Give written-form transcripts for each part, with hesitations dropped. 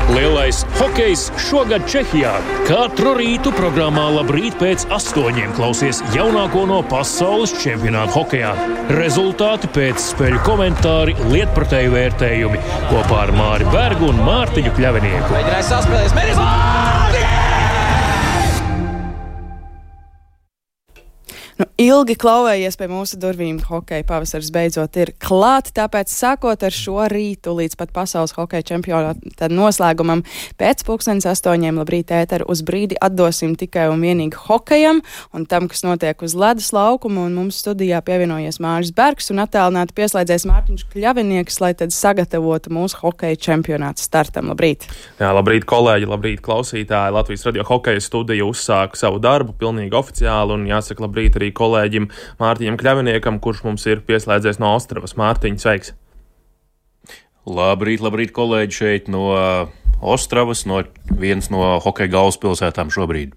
Lielais hokejs šogad Čehijā. Katru rītu programmā Labrīt pēc 8 klausies jaunāko no pasaules čempionāta hokejā. Rezultāti pēc spēļu komentāri, lietpratēju vērtējumi kopā ar Māri Bergu un Mārtiņu Kļavinieku. Mēģinājis saspēlēs, Ilgi klauvējies pie mūsu durvīm, hokeja pavasars beidzot ir klāt, tāpēc sākot ar šo rītu līdz pat pasaules hokeja čempionāta noslēgumam pēc 8:00 Labrīt ēteru uz brīdi atdosim tikai un vienīgi hokejam un tam, kas notiek uz ledus laukuma, un mums studijā pievienojies Māris Bergs un attālināti pieslēdzies Mārtiņš Kļavinieks, lai tad sagatavotu mūsu hokeja čempionāta startam. Labrīt! Jā, labrīt, kolēģi, labrīt, klausītāji! Latvijas radio hokeja studija uzsāka savu darbu pilnīgi oficiāli, un jāsaka labrīt arī kolēģim Mārtiņam Kļaviniekam, kurš mums ir pieslēdzies no Ostravas. Mārtiņ, sveiks! Labrīt, kolēģi, šeit no Ostravas, viens no hokeja galvaspilsētām šobrīd.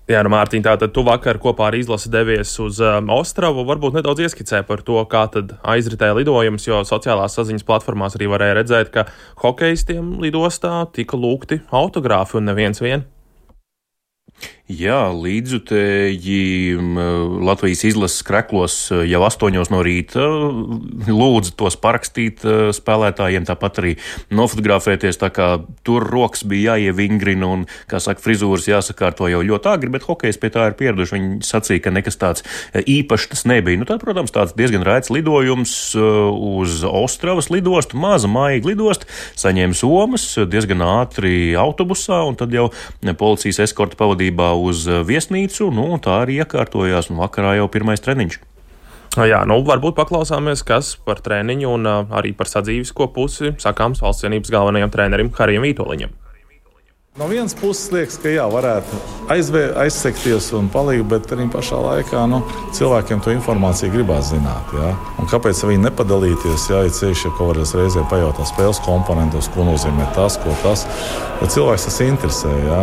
Jā, Mārtiņ, tātad tu vakar kopā ar izlasi devies uz Ostravu. Varbūt nedaudz ieskicē par to, kā tad aizritēja lidojums, jo sociālās saziņas platformās arī varēja redzēt, ka hokejistiem lidostā tika lūgti autogrāfi un neviens vien. Jā, līdzjutēji Latvijas izlases kreklos jau 8 no rīta lūdzu tos parakstīt spēlētājiem, tāpat arī nofotografēties, tā kā tur rokas bija jāievingrina un, kā saka, frizūras jāsakārto jau ļoti agri, bet hokejs pie tā ir pieraduši. Viņi sacīja, ka nekas tāds īpašs tas nebija. Nu, tā, protams, tāds diezgan raids lidojums uz Ostravas lidostu, maza maiga lidosta, saņēma somas diezgan ātri autobusā, un tad jau policijas eskorta pavadībā uz viesnīcu, tā arī iekārtojās, un vakarā jau pirmais treniņš. Jā, varbūt paklausāmies, kas par treniņu un arī par sadzīvisko pusi sakāms valsts cienības galvenajam trenerim Harijam Vītoliņam. No vienas puses liekas, ka varētu aizsekties un palikt, bet arī pašā laikā cilvēkiem to informāciju gribās zināt. Jā. Un kāpēc viņi nepadalīties, ja ceļš kaut kādreiz reizē pajautā spēles komponentos, ko nozīmē tas, ko tas, jo cilvēks tas interesē. Jā.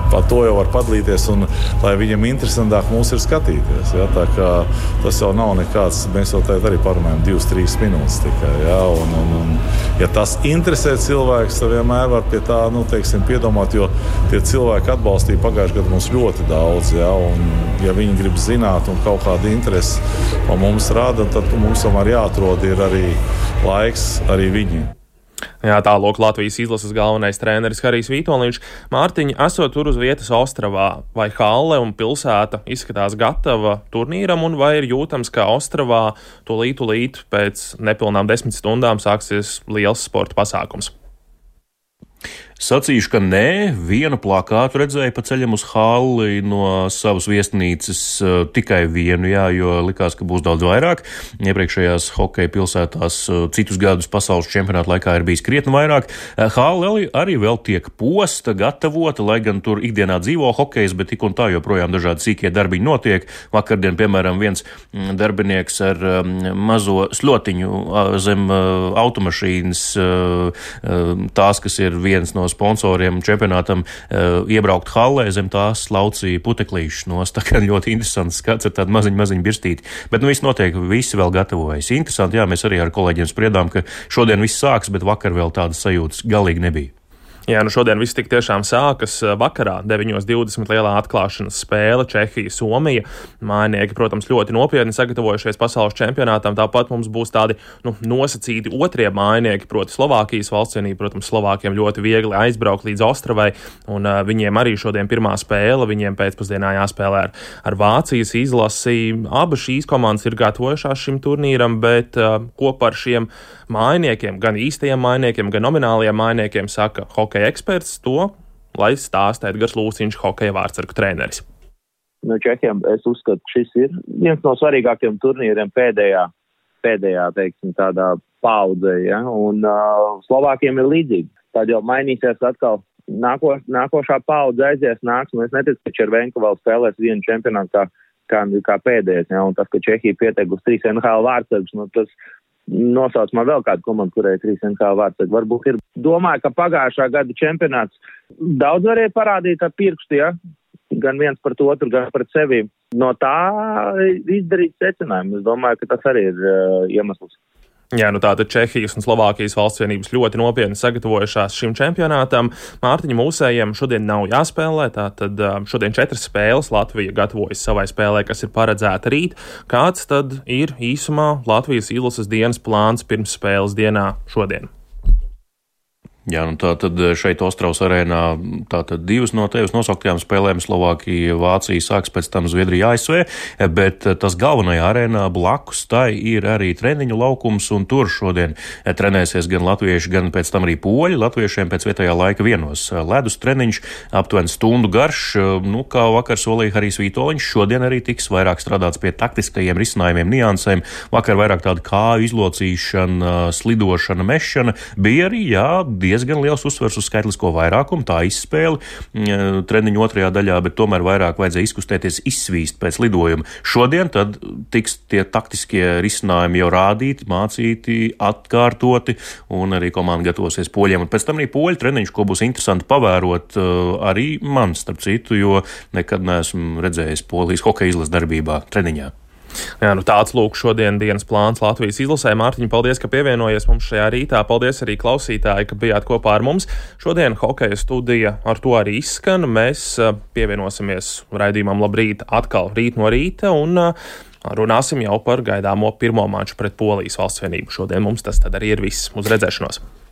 Par to jau var padalīties, un lai viņam interesantāk mūs ir skatīties. Ja? Tā kā tas jau nav nekāds, mēs jau tagad arī parunājam 2-3 minūtes tikai. Ja? Un, ja tas interesē cilvēks, tad vienmēr var pie tā, piedomāt, jo tie cilvēki atbalstīja pagājušajā gadā mums ļoti daudz. Ja? Un, ja viņi grib zināt un kaut kādu interesi par mums rāda, tad mums tomēr jāatrod ir arī laiks arī viņiem. Jā, tālāk Latvijas izlases galvenais treneris Harijs Vītoliņš. Mārtiņ, esot tur uz vietas Ostravā, vai halle un pilsēta izskatās gatava turnīram, un vai ir jūtams, ka Ostravā tūlīt pēc nepilnām 10 stundām sāksies liels sporta pasākums? Sacīšu, ka nē, vienu plakātu redzēju pa ceļam uz halli no savas viesnīcas, tikai vienu, jā, jo likās, ka būs daudz vairāk. Iepriekšējās hokeja pilsētās citus gadus pasaules čempionāta laikā ir bijis krietni vairāk. Halli arī vēl tiek posta, gatavota, lai gan tur ikdienā dzīvo hokejs, bet tik un tā joprojām dažādi sīkie darbiņi notiek. Vakardien, piemēram, viens darbinieks ar mazo slotiņu zem automašīnas, tās, kas ir viens no sponsoriem čempionātam, iebraukt hallē, zem tās laucīja puteklīšus nost. Tā kā ļoti interesants skats ar tādu maziņu birstīti. Bet viss notiek, visi vēl gatavojas. Interesanti, jā, mēs arī ar kolēģiem spriedām, ka šodien viss sāks, bet vakar vēl tādas sajūtas galīgi nebija. Jā, šodien viss tik tiešām sākas vakarā, 9:20 lielā atklāšanas spēle Čehija-Somija. Mājinieki, protams, ļoti nopietni sagatavojušies pasaules čempionātam. Tāpat mums būs tādi nosacīti otrie mājinieki, proti Slovākijas valstsienība. Protams, Slovākiem ļoti viegli aizbraukt līdz Ostravai, un viņiem arī šodien pirmā spēle, viņiem pēcpusdienā jāspēlē ar Vācijas izlasi. Abas šīs komandas ir gatavojušās šim turnīram, bet ko par šiem mājniekiem, gan īstajiem mājniekiem, gan nominālajiem mājniekiem saka hokeja eksperts, to, lai stāsta Edgars Lūciņš, hokeja vārtsargu treneris. No Čehiem es uzskatu, ka šis ir viens no svarīgākiem turnīriem pēdējā, teiksim, tādā paudzē, ja? Un Slovākiem ir līdzīgi. Tad jau mainīsies atkal nākošā paudze aizies, nāks, un es neticu, ka Červenka vēl spēlēs vienu čempionātu kā pēdējais, ja? Un tas, ka Čehija pieteikusi 3 NHL vārtsargus, tas nosauc man vēl kādu komandu, kurai 3 NHL vārtsargi varbūt ir. Domāju, ka pagājušā gada čempionāts daudz varēja parādīt ar pirkstu, ja? Gan viens pret otru, gan pret sevi. No tā izdarīt secinājumu. Es domāju, ka tas arī ir iemesls. Jā, tātad Čehijas un Slovākijas valsts vienības ļoti nopietni sagatavojušās šim čempionātam. Mārtiņa mūsējiem šodien nav jāspēlē, tātad šodien 4 spēles Latvija gatavojas savai spēlē, kas ir paredzēta rīt. Kāds tad ir īsumā Latvijas izlases dienas plāns pirms spēles dienā šodien? Jā, tātad šeit Ostravas arēnā tātad 2 no tevis nosauktajām spēlēm Slovākija, Vācija sāks, pēc tam Zviedrija, ASV, bet tas galvenajā arēnā blakus tai ir arī treniņu laukums, un tur šodien trenēsies gan latvieši, gan pēc tam arī poļi. Latviešiem pēc vietējā laika vienos ledus treniņš, aptuveni stundu garš, kā vakar solīja Harijs Vitoļņš, šodien arī tiks vairāk strādāts pie taktiskajiem risinājumiem, niansēm. Vakar vairāk tāda kāju izlocīšana, slidošana, mešana, bija arī, diezgan liels uzsvers uz skaitlisko vairākumu, tā izspēle treniņu otrajā daļā, bet tomēr vairāk vajadzēja izkustēties, izsvīst pēc lidojuma. Šodien tad tiks tie taktiskie risinājumi jau rādīti, mācīti, atkārtoti, un arī komanda gatavosies poļiem. Un pēc tam arī poļu treniņš, ko būs interesanti pavērot arī man, starp citu, jo nekad neesmu redzējis Polijas hokeja izlases darbībā treniņā. Jā, tāds lūk šodien dienas plāns Latvijas izlasē. Mārtiņ, paldies, ka pievienojies mums šajā rītā. Paldies arī klausītāji, ka bijāt kopā ar mums. Šodien hokeja studija ar to arī izskan. Mēs pievienosimies raidījumam Labrīt atkal rīt no rīta un runāsim jau par gaidāmo pirmo maču pret Polijas valsts vienību. Šodien mums tas tad arī ir viss. Uz redzēšanos!